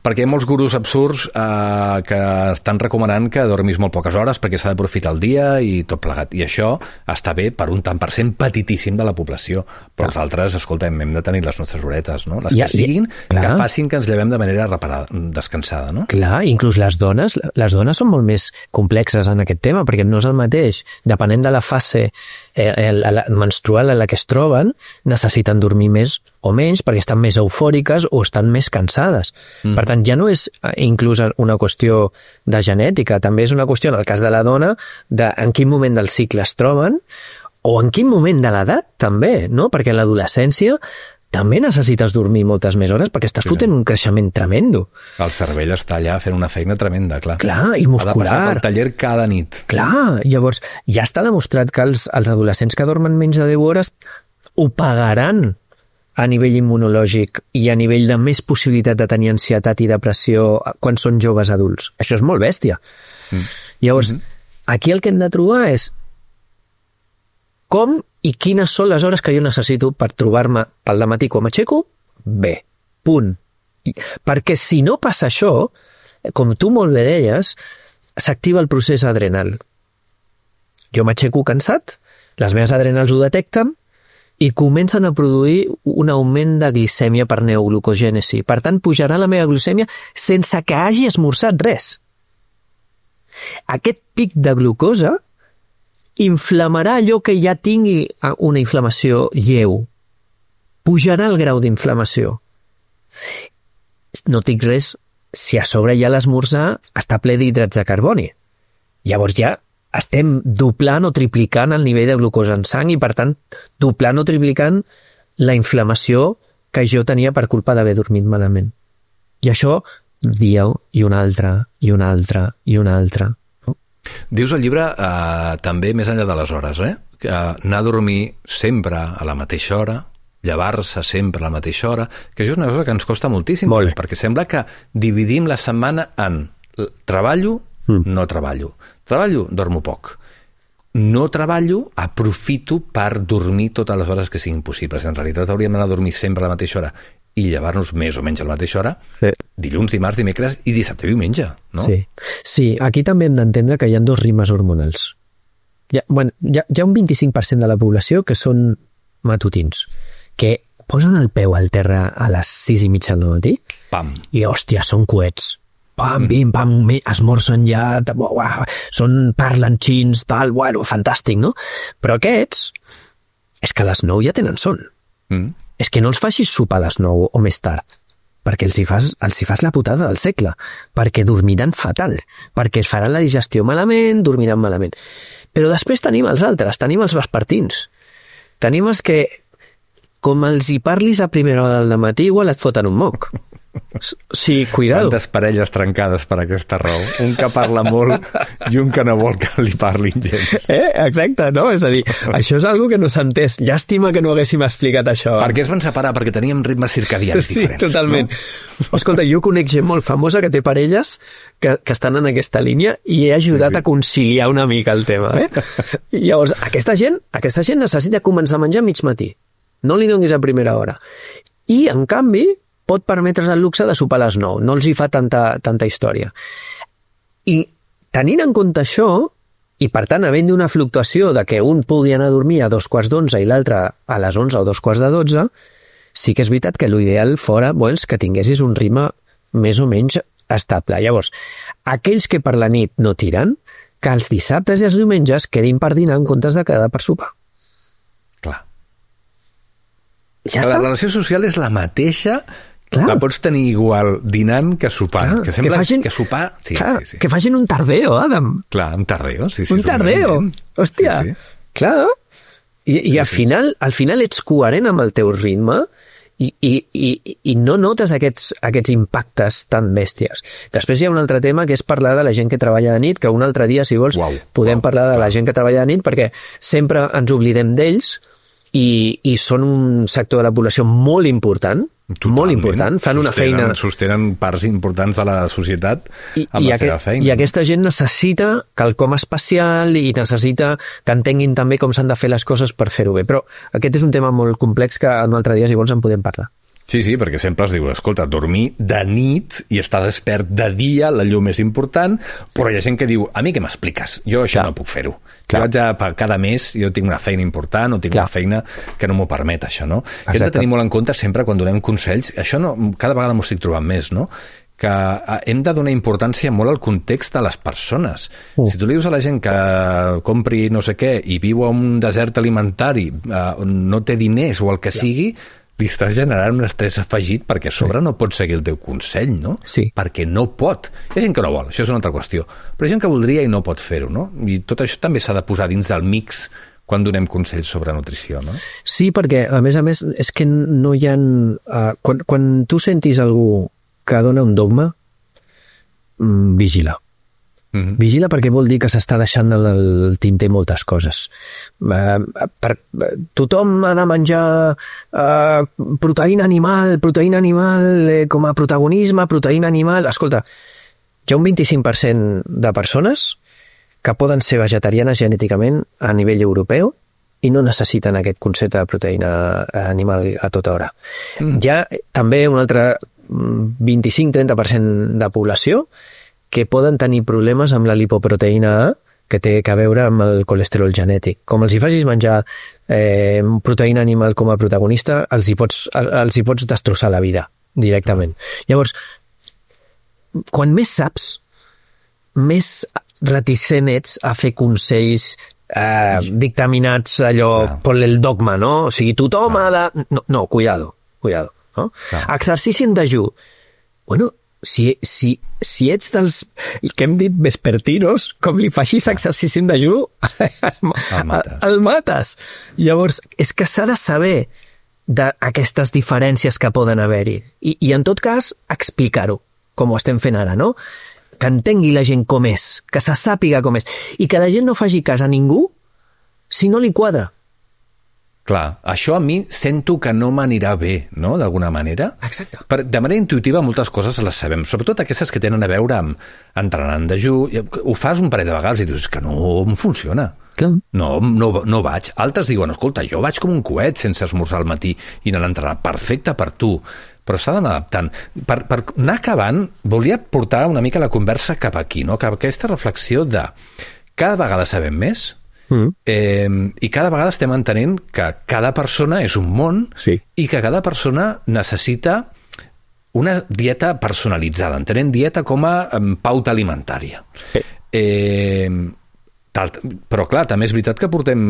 Perquè hi ha molts gurus absurds que estan recomanant que dormis molt poques hores perquè s'ha d'aprofitar el dia i tot plegat. I això està bé per un tant per cent petitíssim de la població. Però els altres, escolta'm, hem de tenir les nostres horetes, no? Les que siguin, que facin que ens llevem de manera descansada, no? Clar, inclús les dones són molt més complexes en aquest tema, perquè no és el mateix. Depenent de la fase menstrual en la que es troben, necessiten dormir més o menys perquè estan més eufòriques o estan més cansades. Per tant, ja no és inclús una qüestió de genètica, també és una qüestió, en el cas de la dona, de en quin moment del cicle es troben o en quin moment de l'edat, també, no? Perquè en l'adolescència també necessites dormir moltes més hores perquè estàs fotent un creixement tremendo. El cervell està allà fent una feina tremenda, clar. Clar, i muscular. Ha de passar pel taller cada nit. Clar, llavors ja està demostrat que els adolescents que dormen menys de 10 hores ho pagaran a nivell immunològic i a nivell de més possibilitat de tenir ansietat i depressió quan són joves adults. Això és molt bèstia. Llavors, aquí el que hem de trobar és com i quines són les hores que jo necessito per trobar-me pel dematí quan m'aixeco bé. Punt. Perquè si no passa això, com tu molt bé deies, s'activa el procés adrenal. Jo m'aixeco cansat, les meves adrenals ho detecten i comencen a produir un augment de glicèmia per neoglucogènesi. Per tant, pujarà la meva glicèmia sense que hagi esmorzat res. Aquest pic de glucosa inflamarà allò que ja tingui una inflamació lleu. Pujarà el grau d'inflamació. No tinc res si a sobre ja l'esmorzar està ple d'hidrats de carboni. Llavors ja estem doblant o triplicant el nivell de glucosa en sang i, per tant, doblant o triplicant la inflamació que jo tenia per culpa d'haver dormit malament. I això, dia i una altra, i una altra, i una altra. Dius al llibre, també més enllà de les hores, que anar a dormir sempre a la mateixa hora, llevar-se sempre a la mateixa hora, que això és una cosa que ens costa moltíssim, perquè sembla que dividim la setmana en treballo, no treballo. Treballo, dormo poc. No treballo, aprofito per dormir totes les hores que siguin possibles. En realitat hauríem d'anar a dormir sempre a la mateixa hora i llevar-nos més o menys a la mateixa hora dilluns, dimarts, dimecres i dissabte i diumenge, no? Sí, aquí també hem d'entendre que hi ha 2 ritmes hormonals. Hi ha un 25% de la població que són matutins, que posen el peu al terra a les 6:30 del matí i, hòstia, són coets. Pam, bim, pam, esmorzen ja, parlen xins, tal, bueno, fantàstic, no? Però aquests, és que a les 9 ja tenen son. És que no els facis sopar a les 9 o més tard, perquè els hi fas la putada del segle, perquè dormiran fatal, perquè es faran la digestió malament, dormiran malament. Però després tenim els altres, tenim els vespertins. Tenim els que, com els hi parlis a primera hora del matí, igual et foten un moc. Sí, cuidado. Quantes parelles trencades per aquesta raó. Un que parla molt i un que no vol que li parlin gens. Exacte, no? És a dir, això és algo que no s'ha entès. Llàstima que no haguéssim explicat això. Per què es van separar? Perquè teníem ritmes circadians diferents. Sí, totalment. No? Escolta, jo conec gent molt famosa que té parelles que estan en aquesta línia i he ajudat a conciliar una mica el tema. I llavors, aquesta gent necessita començar a menjar mig matí. No li donis a primera hora. I, en canvi, pot permetre's el luxe de sopar a les 9. No els hi fa tanta història. I tenint en compte això, I, per tant, havent una fluctuació de que un pugui anar a dormir a 2:15 i l'altre a les 11 o 2:12, sí que és veritat que l'ideal fora que tinguessis un ritme més o menys estable. Llavors, aquells que per la nit no tiren, que els dissabtes i els diumenges quedin per dinar en comptes de quedar per sopar. Clar. Ja La està. relació social és la mateixa. Clar. La pots tenir igual dinant que sopant. Clar, que sembla que facin- que sopar... Sí, Clar, sí. que facin un tardeo, Adam. Clar, un tardeo. Sí, Un és tardeo. moviment. Hòstia, Sí. clar. I al final ets coherent amb el teu ritme i no notes aquests impactes tan bèsties. Després hi ha un altre tema que és parlar de la gent que treballa de nit, que un altre dia, si vols, podem parlar de la gent que treballa de nit, perquè sempre ens oblidem d'ells i són un sector de la població molt important, molt important, fan una feina... Sostenen parts importants de la societat amb la seva feina. I aquesta gent necessita quelcom especial i necessita que entenguin també com s'han de fer les coses per fer-ho bé. Però aquest és un tema molt complex que un altre dia, si vols, en podem parlar. Sí, perquè sempre es diu, escolta, dormir de nit i estar despert de dia, la llum és important, però hi ha gent que diu, a mi què m'expliques? Jo això no puc fer-ho. Jo haig de, cada mes, jo tinc una feina important o tinc una feina que no m'ho permet, això, no? Exacte. Hem de tenir molt en compte sempre quan donem consells, això no, cada vegada m'ho estic trobant més, no? Que hem de donar importància molt al context de les persones. Si tu li dius a la gent que compri no sé què i viu a un desert alimentari on no té diners o el que sigui, li estàs generant un estrès afegit perquè a sobre no pot seguir el teu consell, no? Sí. Perquè no pot. Hi ha gent que no vol, això és una altra qüestió. Però hi ha gent que voldria i no pot fer-ho, no? I tot això també s'ha de posar dins del mix quan donem consells sobre nutrició, no? Sí, perquè, a més, és que no hi ha... Quan tu sentis algú que dona un dogma, vigila. Vigila perquè vol dir que s'està deixant el tinter moltes coses. Tothom ha de menjar proteïna animal com a protagonisme, proteïna animal... Escolta, hi ha un 25% de persones que poden ser vegetarianes genèticament a nivell europeu i no necessiten aquest concepte de proteïna animal a tota hora. Hi ha també un altre 25-30% de població que poden tenir problemes amb la lipoproteïna A, que té a veure amb el colesterol genètic. Com els hi facis menjar proteïna animal com a protagonista, els hi pots destrossar la vida directament. Llavors, quan més saps, més reticent ets a fer consells dictaminats allò per el dogma, no? O sigui, tothom ha de... No, cuidado. No? Exercici en dejú. Bueno, si ets dels que hem dit vespertinos, com li facis exercici en dejú, el mates. Llavors, és que s'ha de saber d'aquestes diferències que poden haver-hi. I en tot cas, explicar-ho, com ho estem fent ara, no? Que entengui la gent com és, que se sàpiga com és, i que la gent no faci cas a ningú si no li quadra. Clar, això a mi sento que no m'anirà bé, no?, d'alguna manera. Exacte. De manera intuïtiva moltes coses les sabem, sobretot aquestes que tenen a veure amb entrenar en dejú. Ho fas un parell de vegades i dius que no em funciona. Clar. No vaig. Altres diuen, escolta, jo vaig com un coet sense esmorzar al matí i anar a entrenar. Perfecte per tu, però s'ha d'anar adaptant. Per anar acabant, volia portar una mica la conversa cap aquí, no? Cap a aquesta reflexió de cada vegada sabem més, i cada vegada estem entenent que cada persona és un món i que cada persona necessita una dieta personalitzada, entenent dieta com a pauta alimentària. Però clar, també és veritat que portem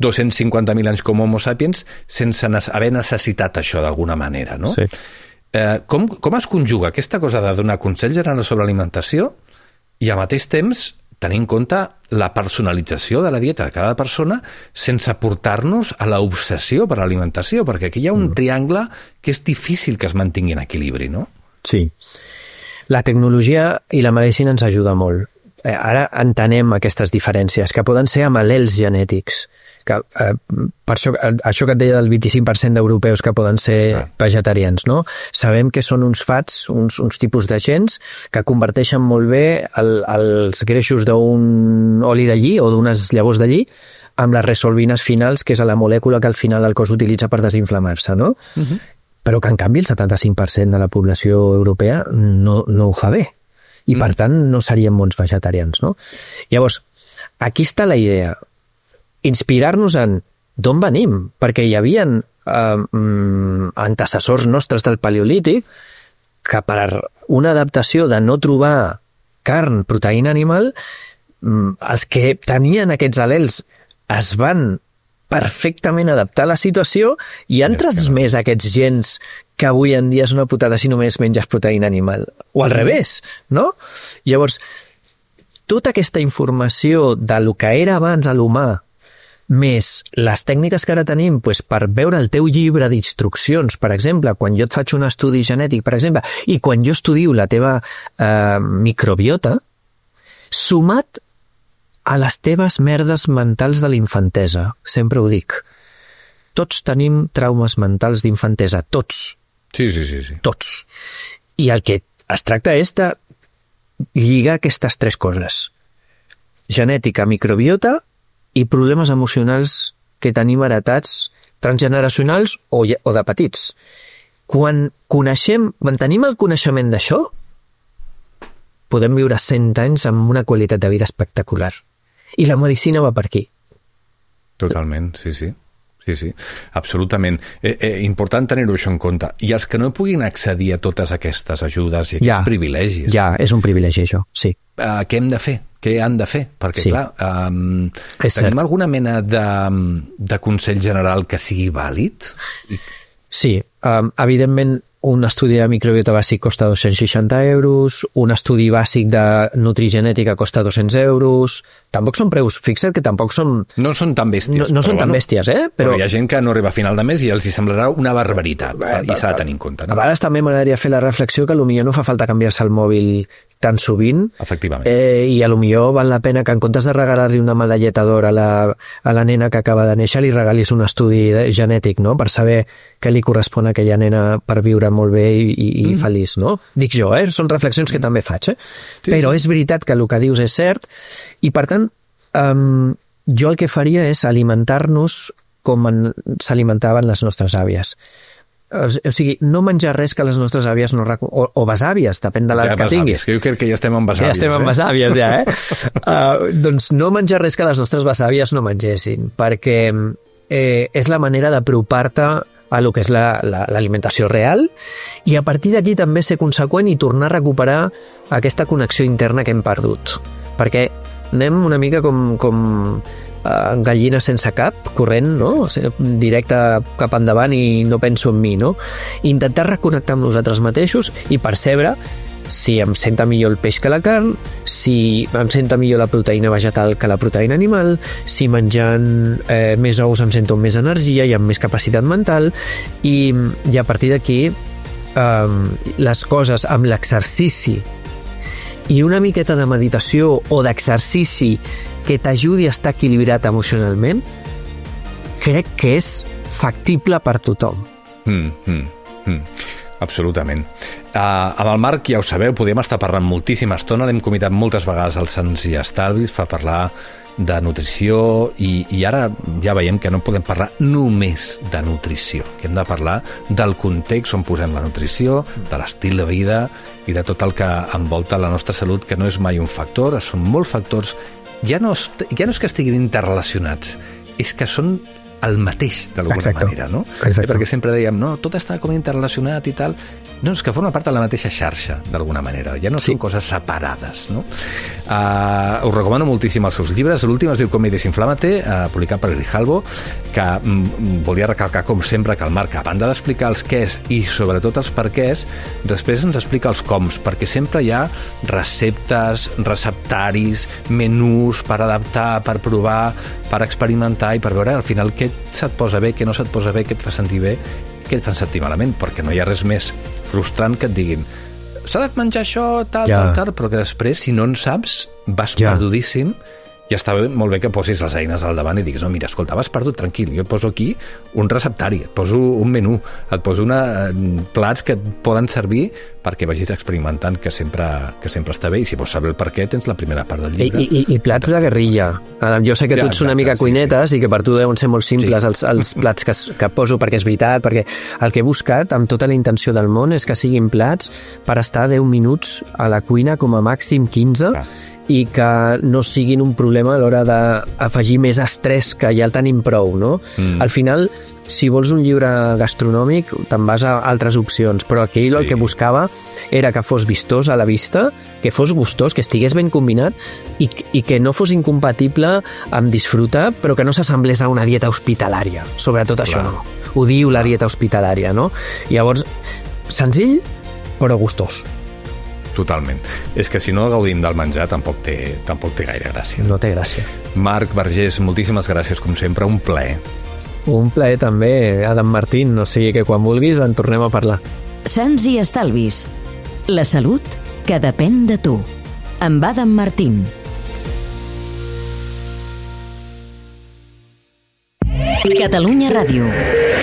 250.000 anys com Homo sapiens sense haver necessitat això d'alguna manera, no? Sí. Com es conjuga aquesta cosa de donar consells generals sobre alimentació i al mateix temps tenir en compte la personalització de la dieta de cada persona sense portar-nos a l'obsessió per l'alimentació, perquè aquí hi ha un triangle que és difícil que es mantingui en equilibri, no? Sí. La tecnologia i la medicina ens ajuda molt. Ara entenem aquestes diferències, que poden ser amb al·lels genètics. Que, per això que et deia del 25% d'europeus que poden ser vegetarians, no? Sabem que són uns fats, uns tipus de gens que converteixen molt bé els greixos d'un oli de lli o d'unes llavors de lli amb les resolvines finals, que és la molècula que al final el cos utilitza per desinflamar-se, no? Però que en canvi el 75% de la població europea no ho fa bé. I per tant no serien bons vegetarians, no? Llavors, aquí està la idea. Inspirar-nos en d'on venim, perquè hi havia antecessors nostres del paleolític que per una adaptació de no trobar carn, proteïna animal, els que tenien aquests al·lels es van perfectament adaptar a la situació i han transmès aquests gens que avui en dia és una putada si només menges proteïna animal. O al revés, no? Llavors, tota aquesta informació de lo que era abans a l'humà, més les tècniques que ara tenim per veure el teu llibre d'instruccions, per exemple, quan jo et faig un estudi genètic, per exemple, i quan jo estudio la teva microbiota, sumat a les teves merdes mentals de l'infantesa. Sempre ho dic. Tots tenim traumes mentals d'infantesa, tots. Sí. Tots. I el que es tracta és de lligar aquestes tres coses. Genètica, microbiota i problemes emocionals que tenim heretats transgeneracionals o de petits. Quan tenim el coneixement d'això, podem viure 100 anys amb una qualitat de vida espectacular. I la medicina va per aquí. Totalment, sí, absolutament. Important tenir-ho això en compte. I els que no puguin accedir a totes aquestes ajudes i aquests privilegis... Ja, és un privilegi això, sí. Què hem de fer? Què han de fer? Perquè, clar, tenim alguna mena de consell general que sigui vàlid? Sí, evidentment un estudi de microbiota bàsic costa 260 euros, un estudi bàsic de nutrigenètica costa 200 euros... Tampoc són preus, fixa't que tampoc són... No són tan bèsties. No són tan bèsties, Però hi ha gent que no arriba a final de mes i els hi semblarà una barbaritat, i s'ha de tenir en compte. A vegades també m'agradaria fer la reflexió que potser no fa falta canviar-se el mòbil tan sovint. Efectivament. I potser val la pena que en comptes de regalar-li una medalleta d'or a la nena que acaba de néixer, li regalis un estudi genètic, no?, per saber què li correspon a aquella nena per viure molt bé i feliç, no? Dic jo, són reflexions que també faig, Però és veritat que el que dius és cert i, per tant, jo el que faria és alimentar-nos com s'alimentaven les nostres àvies. O sigui, no menjar res que les nostres àvies no o besàvies, depèn de l'edat que tinguis. Jo crec que ja estem amb besàvies. Ja estem amb besàvies, doncs no menjar res que les nostres besàvies no mengessin, perquè és la manera d'apropar-te a lo que és l'alimentació real i a partir d'aquí també ser conseqüent i tornar a recuperar aquesta connexió interna que hem perdut. Perquè anem una mica com gallina sense cap, corrent, no? Directe cap endavant i no penso en mi, no? Intentar reconnectar amb nosaltres mateixos i percebre si em senta millor el peix que la carn, si em senta millor la proteïna vegetal que la proteïna animal, si menjant més ous em sento amb més energia i amb més capacitat mental i a partir d'aquí les coses amb l'exercici i una miqueta de meditació o d'exercici que t'ajudi a estar equilibrat emocionalment, crec que és factible per tothom. Absolutament. Amb el Marc, ja ho sabeu, podem estar parlant moltíssima estona, l'hem convidat moltes vegades al Sants i Estalvis per parlar de nutrició i ara ja veiem que no podem parlar només de nutrició, que hem de parlar del context on posem la nutrició, de l'estil de vida i de tot el que envolta la nostra salut, que no és mai un factor, són molts factors, ja no és que estiguin interrelacionats, és que són el mateix, d'alguna manera, no? Perquè sempre dèiem, no, tot està com interrelacionat i tal. No, és que forma part de la mateixa xarxa, d'alguna manera. Ja no són coses separades, no? Us recomano moltíssim els seus llibres. L'últim es diu Com i desinflama-te, publicat per Grijalbo, que volia recalcar, com sempre, que el Marc, a banda d'explicar els quès i sobretot els perquès, després ens explica els coms, perquè sempre hi ha receptes, receptaris, menús per adaptar, per provar, per experimentar i per veure al final què se't posa bé, què no se't posa bé, què et fa sentir bé, què et fa sentir malament, perquè no hi ha res més frustrant que et diguin s'ha de menjar això, tal, però que després, si no en saps, vas perdudíssim i està molt bé que posis les eines al davant i diguis, no, mira, escolta, vas perdut, tranquil, jo et poso aquí un receptari, et poso un menú, et poso plats que et poden servir perquè vagis experimentant, que sempre està bé, i si vols saber el per què, tens la primera part del llibre. I plats de guerrilla. Jo sé que tu ets una mica cuinetes i que per tu deuen ser molt simples els plats que poso, perquè és veritat, perquè el que he buscat amb tota la intenció del món és que siguin plats per estar 10 minuts a la cuina, com a màxim 15, i que no siguin un problema a l'hora d'afegir més estrès, que ja el tenim prou, no? Al final, si vols un llibre gastronòmic, te'n vas a altres opcions, però aquí el que buscava era que fos vistós a la vista, que fos gustós, que estigués ben combinat i que no fos incompatible amb disfrutar, però que no s'assemblés a una dieta hospitalària. Sobretot això no. Odio la dieta hospitalària, no? Llavors, senzill, però gustós. Totalment. És que si no gaudim del menjar tampoc té gaire gràcia. No té gràcia. Marc Vergés, moltíssimes gràcies, com sempre, un plaer. Un plaer també, Adam Martín, o sigui que quan vulguis en tornem a parlar. Sants i estalvis. La salut que depèn de tu. Amb Adam Martín. Catalunya Ràdio.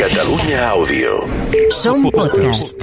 Catalunya Àudio. Som podcast.